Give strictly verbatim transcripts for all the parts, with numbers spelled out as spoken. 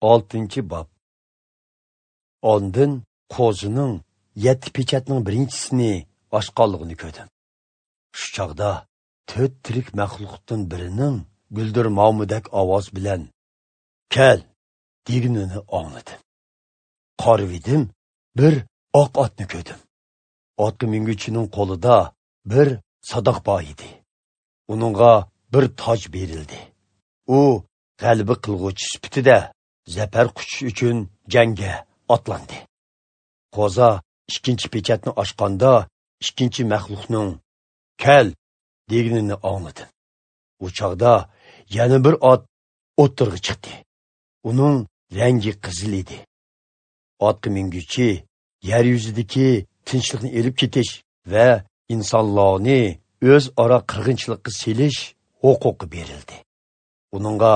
Oltinchi bob. Ondin qo'zining yetti pechatning birinchisini ochqanligini ko'rdim. Shu chog'da to'rt tirik maxluqdan birining guldirmomidak ovoz bilan "Kel" deganini angladim. Qarvidim, bir oq otni ko'rdim. Otga minguchining qo'lida bir sadoq bor edi. Uningga bir toj berildi. U g'alaba qilg'uvchi sifatida zafar quchish uchun jangga otlandi. Qo'za ikkinchi pechatni ochganda ikkinchi maxluqning "Kel" deganini angladim. U chog'da yana bir ot o'ttirg'i chiqdi. Uning rangi qizil edi. Otga minguchi yer yuzidagi tinchlikni elib ketish va insonlarni o'zaro qirg'inchilikqa selish huquqi berildi. Uningga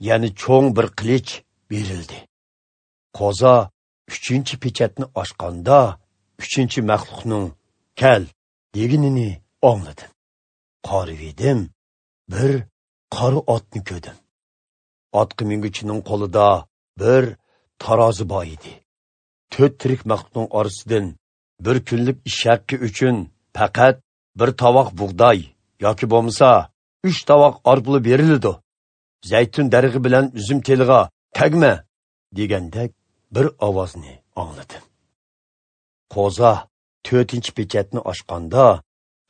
yana cho'ng bir qilich berildi. Qo'za uchinchi pechatni ochganda uchinchi maxluqning "Kel" deganini angladim. Qarividim, bir qora otni ko'rdim. Otga minguchining qo'lida bir tarozi bor edi. To'rt tirik maxluqning orasidan bir kunlik ish haqqi uchun faqat bir tovoq bug'doy yoki bo'lmasa uch tovoq or puli beriladi. Zaytun darig'i bilan uzum teliga tegma degandek bir ovozni angladim. Qo'za to'rtinchi pechatni ochganda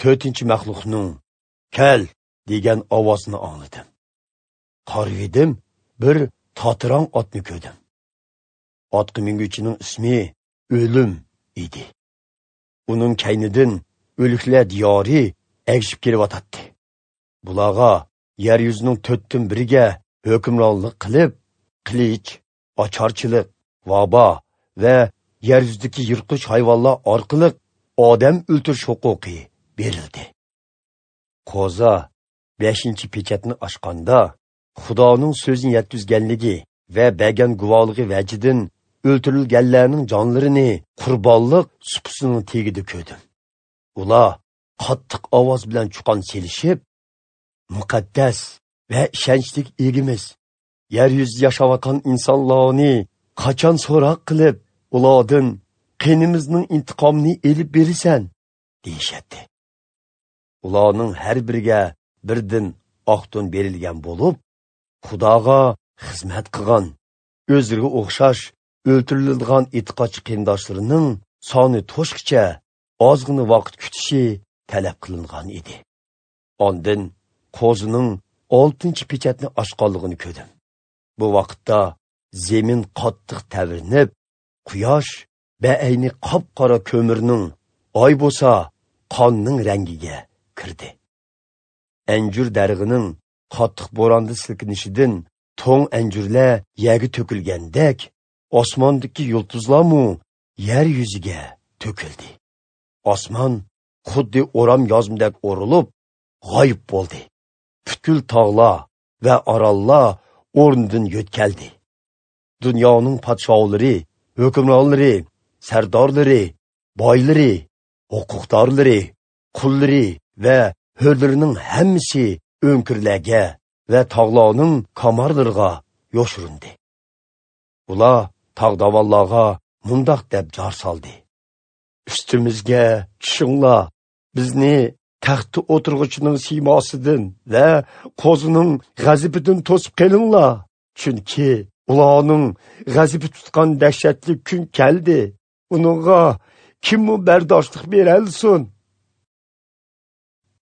to'rtinchi maxluqning "Kel" degan ovozni angladim. Qarvidim, bir totirang otni ko'rdim. Otga minguchining ismi O'lim edi. Uning kaynidan o'liklar diyori agishib kelyotdi. Bularga yer yuzining to'rtdan biriga hukmronlik qilib, qilich, ocharchilik, vabo va yer yuzidagi yirtqich hayvonlar orqali odam o'ltirish huquqi berildi. Qo'za beshinchi pechatni ochganda Xudoning so'zini yetkazganligi va bergan guvohligi vajidan o'ltirilganlarning jonlarini qurbonliq supisining tagida ko'rdim. Ular qattiq ovoz bilan chuqon selishib, muqaddas va ishonchli egimiz, yer yuzida yashayotgan insonlarni qachon so'roq qilib, ulardan qinimizning intiqomini elib berasan, deyishadi. Ularning har biriga birdan oq to'n berilgan bo'lib, Xudoga xizmat qilgan, o'zlariga o'xshash o'ltiriladigan e'tiqodchi qarindoshlarining soni to'shqicha ozgina vaqt kutishi talab qilingan edi. Ondan qo'zining oltinchi pechatni ochganligini ko'rdim. Bu vaqtda zemin qattiq tavrinib, quyosh baayni qop-qora ko'mirning, oy bo'lsa qonning rangiga kirdi. Anjur darig'ining qattiq bo'ronda silkinishidan to'ng anjurlar yerga to'kilgandek, osmondagi yulduzlarmu yer yuziga to'kildi. Osmon xuddi o'ram yozmidek o'rilib, g'oyib bo'ldi. Butkul tog'lar va orollar o'rnidan yo'tkaldi. Dunyoning podshohlari, hukmronlari, sardorlari, boylari, huquqdorlari, qullari va hurlarining hammasi o'nkirlarga va tog'larning kamarlariga yoshirindi. Ular tog' dovonlarga mundoq deb jar soldi: "Ustimizga tushinglar, bizni taxtda o'tirg'uchining siymosidan va qo'zining g'azabidan to'sib qolinglar, chunki ularning g'azabi tutgan dahshatli kun keldi. Uningga kimmi bardoshlik beralsin?"